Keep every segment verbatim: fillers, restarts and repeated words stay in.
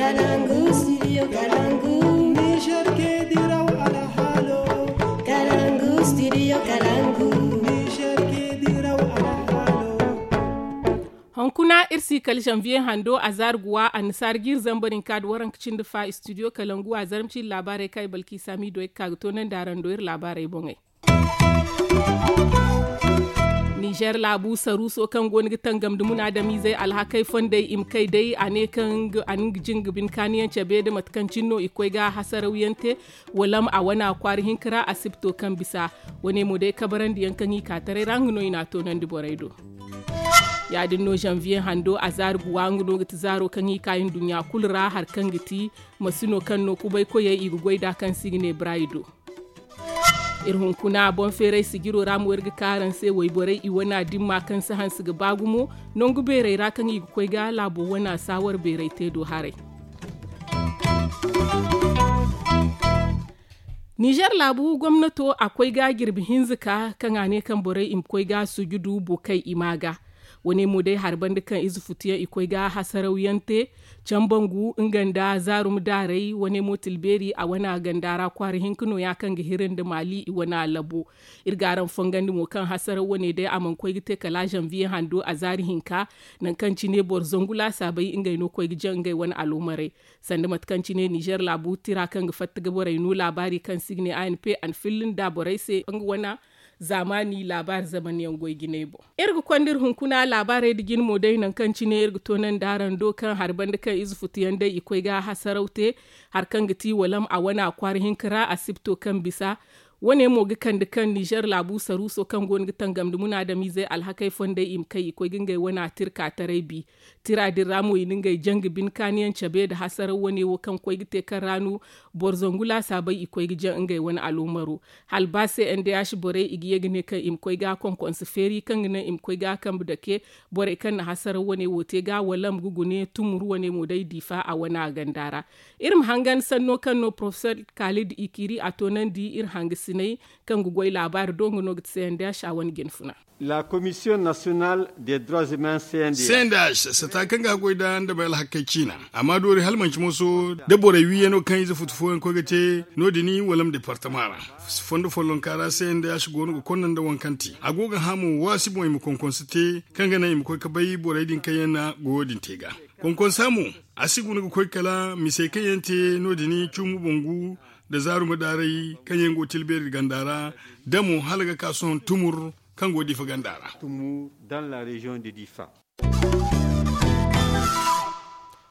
Kalangu, studio Kalangu. Niger ke diraw alhalo. Kalangu, studio Kalangu. Niger ke diraw alhalo. Hunkuna iri si kala janvier hando a zaari guwa annasaara jiiri zambar hinka nda waranka cindi fa studio Kalangu a zarma cindi laabaarey kaŋ ay balki sami do ay ga ka ga toonandi araŋ do iri laabaarey boŋey. Nizer laabu saruuso kaŋ go no ga tangam nda munaadamiizey alhakey fondey i ma kay day a ne kaŋ a na nga jin ga bine kaaniyaŋ cabe nda mate kaŋ cine no i koy ga hasarawyaŋ te. Walam a wana kwaara hinka ra asibto kaŋ bisa wane mo day kabarandi yaŋ kaŋ i ka taray ra nga no i n'a toonandi borey do. Ya- din no zanviye hando a zaari guwa nga no ga ti zaaro kaŋ i ka i nduɲɲa kulu ra hari kaŋ ga ti masino kaŋ no kubay koyey i ga goy nd'a kaŋ se i ga ne barayi do. Iri hunkuna boŋ feeray sijiro ra mo iri ga ka araŋ se wayborey i wana dimma kaŋ si hanse ga ba gumo nangu beerey ra kaŋ i ga koy ga laabo wana saawar beerey te do haray. Nizer laabu gomnato a koy ga jirbi hinza ka kaŋ a ne kaŋ borey i ma koy ga sujudu bukey i ma ga wane mo day hari banda kaŋ ize futuyaŋ i koy ga hasarawyaŋ te. Cambangu nga nda zaarum daarey wane mo tilbeeri a wana ganda ra kwaara hinka no- ya kaŋ ga hiri nda maali i wana labo. Iri ga araŋ fongandi mo kaŋ hasaraw wane day a mana koy ga te kala zanviye hando a zaari hinka nangu kaŋ cine boro zangu laasaabey ngey no koy ga jaŋ ngey wane aloomarey. Sanda mate kaŋ cine nizer laabu tira kaŋ ga fatta ga borey no laabaari kaŋ se i ga ne a n p a na filla nda borey se nga wane zaamaani laabaari zamanyaŋ goy jinay boŋ. Iri ga konda iri hunkuna laabaarey nda jine mo day nangu kaŋ cine iri ga toonandi araŋ do kaŋ hari banda kaŋ ize futuyaŋ day i koy ga hasaraw te hari kaŋ ga ti walam a wana kwaara hinka ra asibto kaŋ bisa. Wane mo ga kande kaŋ nizer laabu saruuso kaŋ go no ga tangam nda munaadamiizey alhakey fondey i ma kay i koy ga ngey wana tirka taray bi. Tira din ra mo i na ngey janga bine kaaniyaŋ cabe nda hasaraw wane wo kaŋ koy ga te kaŋ ra no boro zangu laasaabey i koy ga jaŋ ngey wane aloomaro. Hala ba se n d h borey i ga ye ga ne kaŋ i ma koy ga konkonse feeri kaŋ ga naŋ i ma koy ga kambe dake borey kaŋ na hasaraw wane wo te ga wala ma ga gune tumur wane mo day diifa a wana ganda ra. Iri ma hangan sanno kaŋ no porofesor kaalid i kiiri a toonandi iri hangasiney kaŋ ga goy laabaari do nga no ga ti se n d h a wane jinfuna. La commission nationale des droits humains c n d h. Sata kaŋ ga goy da nda bay alhakey ciina amma doori hala manci moso da borey wiiyano kaŋ ize futu fooyaŋ koy ga te no- din wala ma departama ra. Fondo follonka ra c n d h go no ga konda nda waŋ kaŋ te a go ga hã mo waasi boŋ i ma konkonse te kaŋ ga naŋ i ma koy ga bay borey din kaŋ yaŋ na goyo din te ga. Konkonsa mo a si guna ga koy kala misey kaŋ yaŋ te no- din cuumu bangu nda zaaruma daarey kaŋ yaŋ go tilbeeri ganda ra da mo hala ga ka sohõ tumur kaŋ go diifa ganda ra.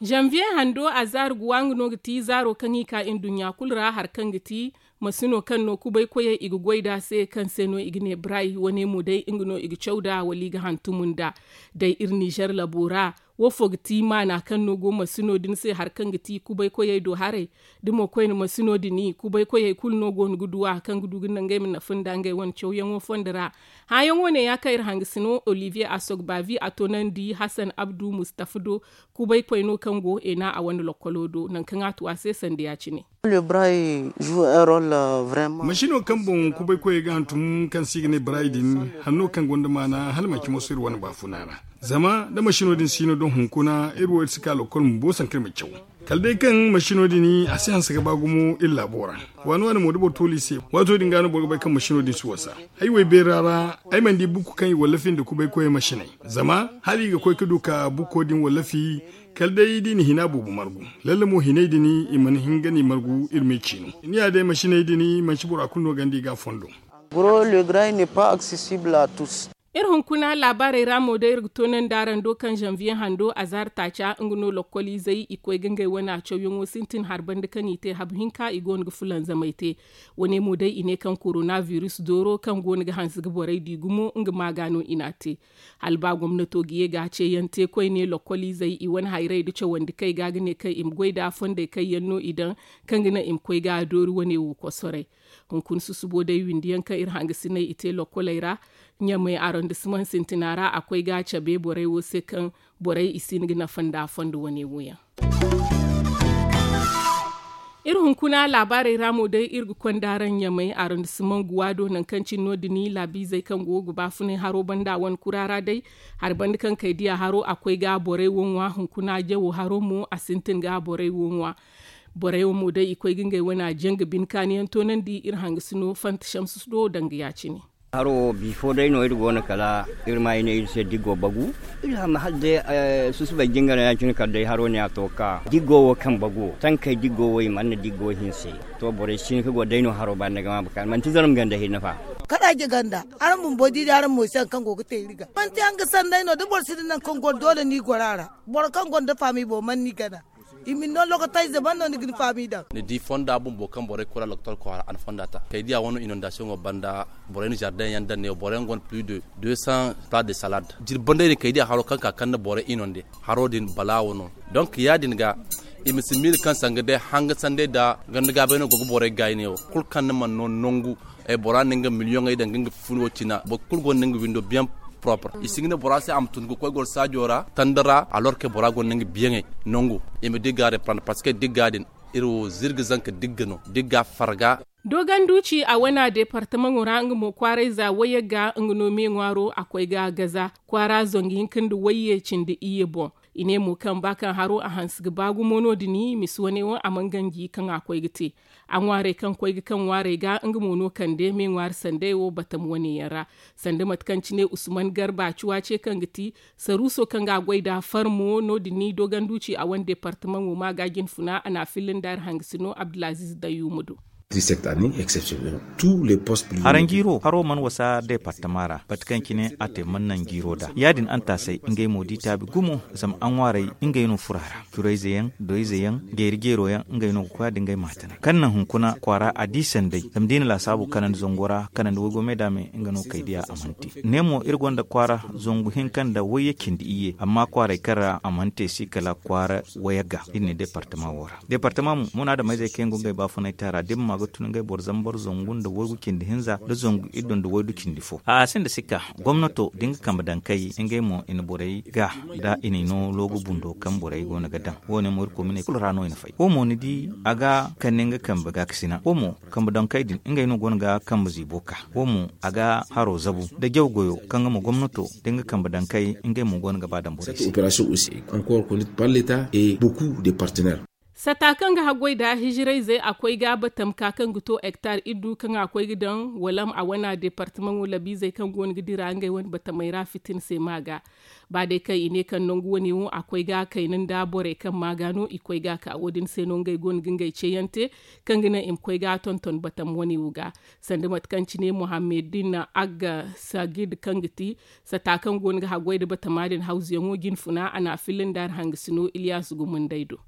Zanviye hando a zaari guwa nga no ga ti zaaro kaŋ i ka nduɲɲa kulu ra hari kaŋ ga ti masino kaŋ no kubay koyey i ga goy nd'a se kaŋ se no i ga ne bray wane mo day nga no i ga caw nd'a wala i ga hantum nd'a. Day iri nizer labo ra wo fo ga ti maana kaŋ no go masino din se hari kaŋ ga ti kubay koyey do haray? Da mo koyne masino din kubay koyey kulu no go no ga du a kaŋ ga du ga naŋ ngey ma nafa nda ngey wane cawyaŋo fondo ra. Hãyaŋo ne ya kaŋ iri hangasino olivier asogbavi a toonandi hasan abdu mustafa do. Kubay koy no kaŋ go ena a wane lokkolo do nangu kaŋ a tu a se sanda ya- cine. Masino kaŋ boŋ kubay koyey ga hantum kaŋ se i ga ne bray din hanno kaŋ gonda maana hala manci moso iri wane baafuna ra. Zama da masino din si no doŋ hunkuna iri wo iri si ka lokkol bumbo sanka iri ma caw. Kala day kaŋ masino din a si hanse ga ba gumo iri laabo ra. Waani waani mo da boro tooli se waato din ga no boro ga bay kaŋ masino din si wasa. Ay wo ay beera ra ay mana di bukko kaŋ i wallafi nda kubay koyey masiney. Zama hala i ga koy ga du ka bukko din wallafi kala day da i na hina boobo margu. Lalle mo hinay din i mana hin ga ni margu iri ma i ciino. Ni ya day masiney din manci bora kulu no gonda i ga a fondo. Iri hunkuna laabaarey ra mo day iri ga toonandi araŋ do kaŋ zanviye hando azaari taaca nga no lokkoliizey i koy ga ngey wane cawyaŋo sintin hari banda kaŋ i te habu hinka i go no ga fulanzamey te. Wane mo day i ne kaŋ korona virus dooro kaŋ go no ga hanse ga borey di gumo nga maaga no i n'a te. Hala ba gomnato ga ye ga a ceeyaŋ te koyne lokkoliizey i wane hayrey nda cawandi kay ga ga ne kaŋ i ma goy nd'a fondey kaŋ yaŋ no i daŋ kaŋ ga naŋ i ma koy ga a doori wane wo kosoray. Hunkuna susubo day windiyaŋ kaŋ iri hangasiney i te lokkoley ra ɲamay arondisimaŋ sintina ra a koy ga a cabe borey wo se kaŋ borey i si hin ga nafa nda a fondo wane wo yaŋ. Iri hunkuna laabaarey ra mo day iri ga konda araŋ ɲamay arrondissement guwa do nangu kaŋ cine no- din laabiizey kaŋ go ga baafunay haro banda wane kura ra day. Hari banda kaŋ kay diya haro a koy ga borey wo ŋwa hunkuna jawo haro mo a sintin ga borey wo ŋwa. Borey wo mo day i koy ga ngey wane a jaŋ ga bine kaani yaŋ toonandi iri hangasino fanta shamsu do danga ya-cine. Haro wo bifo day no iri go no kala iri ma i ne iri se diggo bagu. Iri hama hala day susubay jingara ya- cine kala day haro ne a to ga ka diggo wo kaŋ bagu wo tankey diggo wo i mana diggo hinse. To borey si hin ka go day no haro ba ni ga ma baka manti zaram ganda hinne fa. Kala je ganda araŋ bumbo di da araŋ mo se hari kaŋ go ga te iri ga manti hanga sanday no da boro si di nangu kaŋ go doole ni goro a ra. Boro kaŋ gonda faami boŋ mana ni gana. I ma ni no lokotayze mana no ni ga ni faami daŋ. Ni di fonda bumbo kaŋ borey kura lokotol kwaara a na fonda ta kay diya wano inondasiyoŋo banda. Borey na zardeŋ yaŋ daŋ ne borey yaŋ gonda plis de deux cents tas de salad. Jirbandey din kay diya haro kaŋ ka kande borey inonde haro din balaawo no. Donk ya- din ga i ma si miila kaŋ sanga day hanga sanday nda ganda gaabay no go ga borey gaayi ne wo kulu kaŋ ni mana no nangu. Bora na nga miliyoŋey daŋ ga nga fun wo cina boro kulu gonda nga windo biyaŋ propre i si ga ne bora se a ma tun ga koy goro saajo ra tanda ra a lorke bora gonda nga biyaŋey. Nangu i ma digga reprendre parce que digga din iri wo zirga zanka digga no digga farga. Dogon duci a wana departamaŋo ra nga mo kwaarayza wayagga nga no me ŋwaaro a koy ga gaza kwaara zangu hinka nda wayye cindi iyye boŋ. I ne mo kaŋ ba kaŋ haro a hanse ga ba gumo no- din misi wane wo a mana ganji kaŋ a koy ga te. A ŋwaarey kaŋ koy ga kaŋ ŋwaarey ga nga mo no kande me ŋwaari sanday wo batam wane yaŋ ra. Sanda mate kaŋ cine usman garba cuwa ce kaŋ ga ti saruuso kaŋ ga goy nda farmo no- din dogon duci a wane departamaŋo ma ga jinfuna a na a filla nda hari hangasino abdulaziz dayyumu do. Haranjiiro haro mana wasa departama ra bate kaŋ cine a te mana naŋ jiiro da ya- din antaasay ngey mo di taabi gumo. Zama a ŋwaarey ngey no furo a ra curayze yaŋ doyze yaŋ geeri jeero yaŋ ngey no ga koy a da ngey ma tanay kaŋ naŋ hunkuna kwaara a di sanday zama da i na laasaabu kanandi zango ra kanandi waygo me da me nga no kay diya a mana te. Ne mo iri gonda kwaara zangu hinka nda wayye cindi iyye amma kwaarey kaŋ ra a mana te si kala kwaara wayagga iri ne departama wo ra. Departama mo munaadameyzey kaŋ yaŋ go ngey baafunay te a ra da iri ma ga tun ngey boro zambar zangu nda waygu cindi hinza nda zangu iddu nda waydu cindi fo a sinda sikka. Gomnato da nga kambe daŋ kay ngey mo i na borey ga da i na i no loogu bundo kaŋ borey go no ga daŋ wo- ne mo iri kominey kulu ra no i na fay wo mo ni di a ga kande nga kambe gaakasina wo mo kambe daŋ kay din ngey no go no ga kambe ziibo ka wo mo a ga haro zabu nda jaw goyo kaŋ ga ma gomnato da nga kambe daŋ kay ngey mo go no ga ba daŋ borey se. Sata kaŋ ga haggoy nda hijirayzey a koy ga batam ka kaŋ ga to hektar iddu kaŋ a koy ga daŋ walam a wana departamaŋo labiizey kaŋ go no ga dira ngey wane batamey ra fitina se ma ga. Ba day kaŋ i ne kaŋ nangu wane wo a koy ga kayna nda borey kaŋ ma ga no i koy ga ka wo- din se no ngey go no ga ngey ceeyaŋ te kaŋ ga naŋ i ma koy ga tonton batam wane wo ga. Sanda mate kaŋ cine muhammedin agga sagid kaŋ ga ti sata kaŋ go no ga haggoy nda batama din hawzuyaŋo jinfuna a na a filla nda hari hangasino iliyasu gumundey do.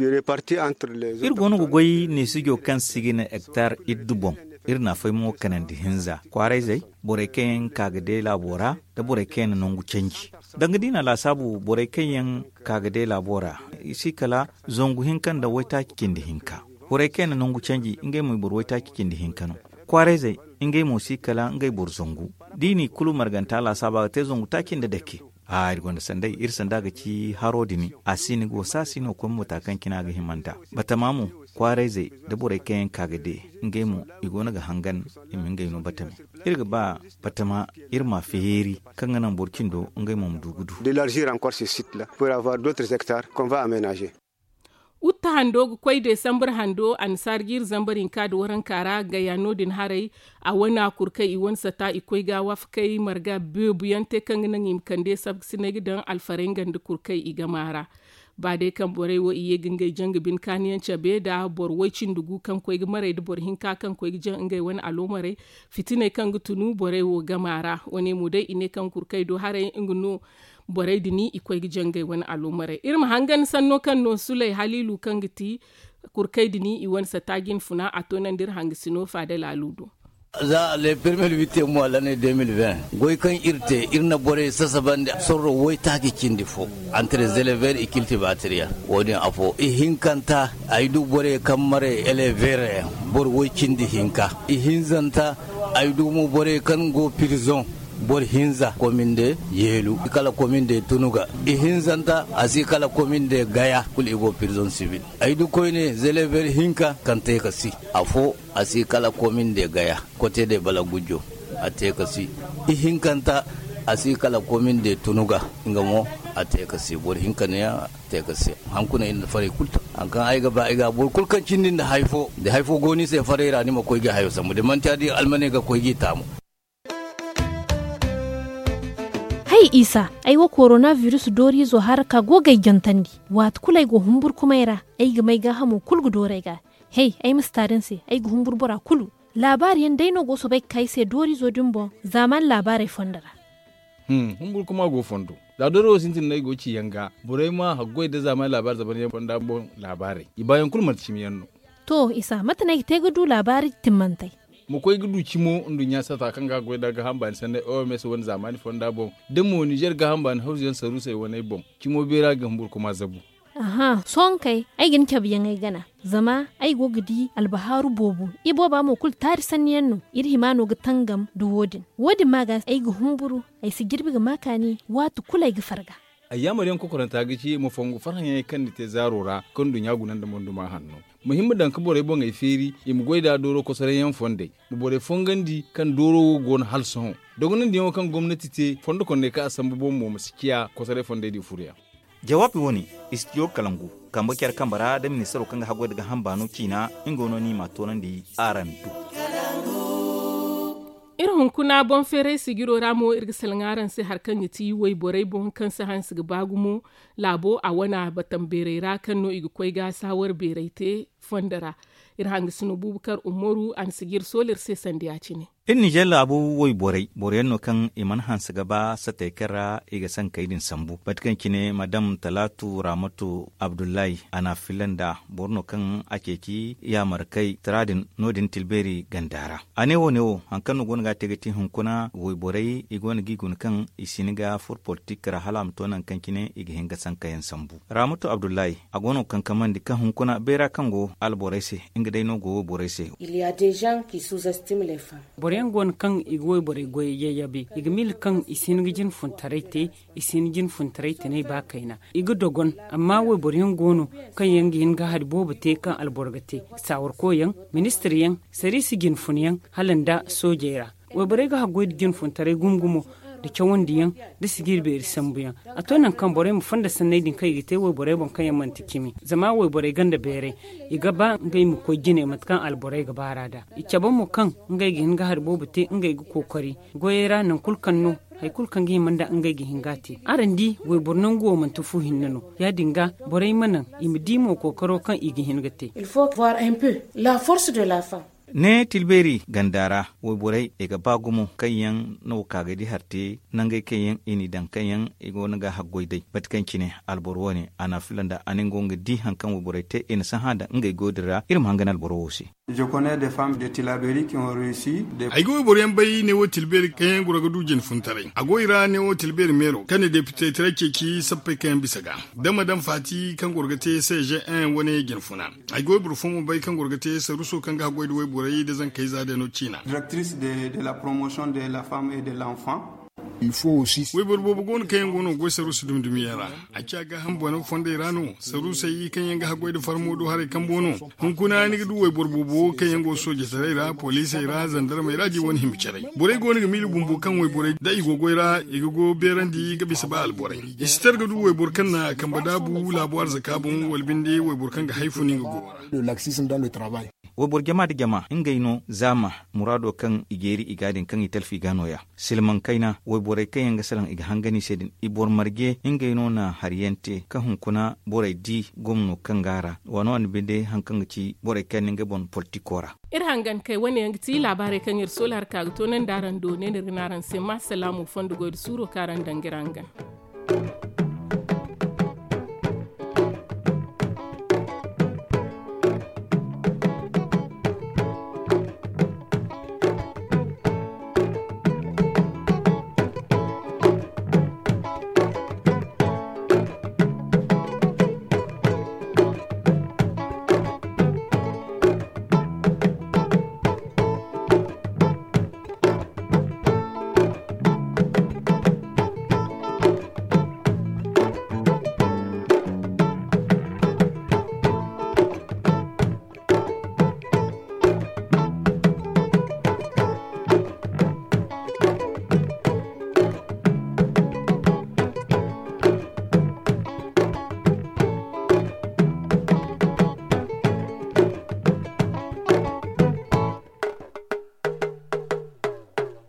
Iri go no ga goy neesijo kaŋ si ga ne hektar iddu boŋ. Iri na fay mo kanandi hinza kwaarayzey borey kaŋ yaŋ ka ga day laabo ra nda borey kaŋ yaŋ na nangu canji. Danga da i na laasaabu borey kaŋ yaŋ ka ga day laabo ra i si kala zangu hinka nda waytaaci cindi hinka. Borey kaŋ yaŋ na nangu canji ngey mo i boro waytaaci cindi hinka no. Kwaarayzey ngey mo si kala ngey boro zangu. Da i n'i kulu marganta laasaabu a ga te zangu taaci nda dake. Iri gonda sanday iri sanda ga ci haro din a si ni go saasi no koy ma bata kaŋ cine a ga hima nd'a. Batama mo kwaarayzey nda borey kaŋ yaŋ ka ga de ngey mo i go no ga hangan. I ma ngey no batame iri ga ba batama iri ma feeri kaŋ ga naŋ boro cindo ngey mo ma du ga du. D'élargir encore ce site là pour avoir d'autres hectares qu'on va aménager. Utta hando ga koy desambar hando annasaara jiiri zambar hinka nda waranka ra gaya no- din haray. A wane kurkey i wane sata i koy ga wafakey marga beebu yaŋ te kaŋ ga naŋ i ma kande sabkasiney ga daŋ alfarey nga nda kurkey i game a ra. Ba day kaŋ borey wo i ye ga ngey jaŋ ga bine kaani yaŋ cabe nda boro way cindi gu kaŋ koy ga maray nda boro hinka kaŋ koy ga jaŋ ngey wane aloomarey. Fitiney kaŋ ga tunu borey wo game a ra wane mo day i ne kaŋ kurkey do haray nga no. Borey din i koy ga jaŋ ngey wane aloomarey iri ma hangan sanno kaŋ no suley haliilu kaŋ ga ti kurkey din i wane sata jinfuna a to naŋ da iri hangasino faada laalu do. Za le permel witte mois lanne deux mille vingt goy kaŋ iri te iri na borey sasabandi sorro waytaaci cindi fo. Entre zelever i kiltibatriya wo- din afo ihinkanta ay du borey kaŋ maray elever yaŋ boro way cindi hinka ihinzanta ay du mo borey kaŋ go pirzoŋ. Boro hinza komin de yeelu kala komin de tunuga. Ihinzanta a si kala komin de gaya kulu i go prison sibil. Ay du koyne zeleber hinka kaŋ te ka si afo a si kala komin de gaya kote de bala gujjo. A te ka si ihinkanta a si kala komin de tunuga. Nga mo a te ka si boro hinka ne a te ka si. Hankuna iri na faray kulu ta haŋ kaŋ ay ga ba ay ga boro kulu kaŋ cindi nda hay fo da hay fo go ni se faray ra ni ma koy ga hayo sambu da manti ya- din almane ga koy g'i taamu. Hay isa, ay wo korona virus dooriizo hara ka go ga ay jantandi. Waati kulu ay go humburkumay ra, ay ga may gaahamo kulu ga dooru ay ga. Hay ay ma si taari ni se, ay ga humburu bora kulu. Laabaari yaŋ day no go soobay ga ka ay se dooriizo din boŋ. Zaamaani laabaarey fondo ra. Humburkuma go fondo. Za dooro wo sintin no ay go ga ci yaŋ ga borey ma haggoy nda zaamaani laabaari zamanyaŋ fonda boŋ. Laabaarey i baayaŋ kulu manti cimi yaŋ no. To isa mate no ay ga te ga du laabaari timmantey? Ma koy ga du cimo nduɲɲa sata kaŋ ga a goy nda gaaham baani sanney oms wane zaamaani fonda boŋ, da mo nizer gaaham baani hawzu yaŋ saruusey waney boŋ. Cimo beera ga humburkuma zabu. Aha, sohõ kay ay ga ni cabe yaŋ ay gana. Zama ay go ga di albahaaru boobo. Ibooba mo kulu taari sanni yaŋ no. Iri hima no ga tangam nda wo- din. Wo- din ma ga ay ga humburu. Ay si jirbi ga ma kaani waati kulu ay ga farga. Ay yaamar yaŋ kokoranta ga ci ma fongu farhã yaŋey kaŋ ni te zaaro ra kaŋ nduɲɲa guna nda monduma hanno. Ma hima daŋ ga borey boŋey feeri i ma goy nd'a dooro kosoray yaŋ fondey. Ma borey fongandi kaŋ dooro wo go no hala sohõ. Dogonandi yaŋo kaŋ gomnati te fondo kondey kaŋ a sambu boŋ mo ma si ciya kosoray fondey din furu yaŋ. Jawaabi wo- ne, istidiyo kalangu, kambe care kambe ra nda ministaro kaŋ ga haggoy nda gaaham baano ciina. Nga no ni m'a toonandi araŋ do. Iri hunkuna boŋ feeray sijiro ra mo iri ga salaŋ araŋ se hari kaŋ ga ti wayborey boŋ kaŋ si hanse ga ba gumo. Laabo a wane a batam beerey ra kaŋ no i ga koy ga saawar beerey te fondo ra. Iri hangasino buubu kar umaru a na sijiri sooliri se sanda ya- cine. Iri nizer laabu wayborey boro yaŋ no kaŋ i mana hanse ga ba satey kaŋ ra i ga sankey din sambu mate kaŋ cine madam talaatu raamatu abdullahi a na a filla nd'a. Boro no kaŋ a ceeci yaamarkey tira din no- din tilbeeri ganda ra. A ne wo- ne wo hari kaŋ no go no ga a te ga ti hunkuna wayborey i go no ga i guna kaŋ i si hin ga furo politik ra hala a ma to nangu kaŋ cine i ga hin ga sankayaŋ sambu. Raamatu abdullahi a go no ga kankamandi kaŋ hunkuna beera kaŋ go alborey se nga day no go wayborey se. Boro yaŋ go no kaŋ i ga wayborey goyey yayyabe. I ga miila kaŋ i si hin ga jine funtaray te. I si hin jine funtaray tanay ba kayna. I ga dogon. Amma wayboro yaŋ go no kaŋ yaŋ ga hin ga hari boobo te kaŋ alboro ga te. Saawarko yaŋ, ministir yaŋ, sariisi jine fun yaŋ, hala nda soojey ra. Wayborey ga haggoy nda jine funtaray gumo gumo, nda cawandi yaŋ, nda sijiri beeri sambu yaŋ. A to nangu kaŋ borey ma fonda sanney din kaŋ i ga te wayborey boŋ kaŋ yaŋ manti cimi. Zama wayborey ganda beeray, i ga ba ngey ma koy jine mate kaŋ alborey ga baar'a nd'a. I cabe mo kaŋ ngey ga hin ga hari boobo te ngey ga kookari goyey ra nangu kulu kaŋ no hari kulu kaŋ ga hima nda ngey ga hin ga a te. Araŋ di, wayboro nangu wo manti fu hinne no. Ya- din ga, borey ma naŋ i ma di mo kookaro kaŋ i ga hin ga te. Il faut voir un peu la force de la femme. Ne tilbeeri ganda ra, wayborey i ga ba gumo kaŋ yaŋ no ka ga di hari te nangey kaŋ yaŋ i n'i daŋ kaŋ yaŋ i go no ga haggoy day mate kaŋ cine alboro wo- ne a na a filla nd'a a ne nga wo nga di hari kaŋ wayborey te i na sahã daŋ ngey goyo din ra. Iri ma hangan alboro wo se. Ay ga wayboro yaŋ bay ne wo tilbeeri kaŋ yaŋ goro ga du jine funtaray a go i ra ne wo tilbeeri meero kaŋ na depite tira ceeci sappey kaŋ yaŋ bisa ga, da madam faati kaŋ goro ga te cgn wane jine funa. Ay ga wayboro fo mo bay kaŋ goro ga te saruuso kaŋ ga haggoy nda wayborey nda zankey za day no ciina. Wayboro boobo go no kaŋ yaŋ go no ga goy saruuso dumi dumi yaŋ ra. A ciya gaaham bone fondey ra no. Saruusey kaŋ yaŋ ga haggoy nda farmo do haray kambo no. Hunkuna ni ga du wayboro boobo kaŋ yaŋ go soojetaray ra poliisey ra zandarmey ra da i wane hima caray. Borey go no ga miila bumbo kaŋ wayborey da i go goy ra i ga go beerandi ga bisa ba alborey. I si tar ga du wayboro kaŋ na kambe daabu laabo arzaka boŋ wala binde wayboro kaŋ ga hay fun nga go ra. Wayboro jama nda jama ngey no zaama muraado kaŋ i jeeri i ga din kaŋ i talfi ga nooya. Silmaŋ kayna wayborey kaŋ yaŋ ga salaŋ i ga hangan i se din i boro marje ngey no na hari yaŋ te kaŋ hunkuna borey di gomno kaŋ go a ra waano a na binde hari kaŋ ga ci borey kaŋ yaŋ na ngey boŋ politiko ra. Iri hangan kay wane yaŋ ga ti laabaarey kaŋ iri soola hari ka ga toonandi araŋ do ne no iri ga ne araŋ se ma salaamu fondo goy nda suuro kaŋ araŋ daŋ ga iri hangan.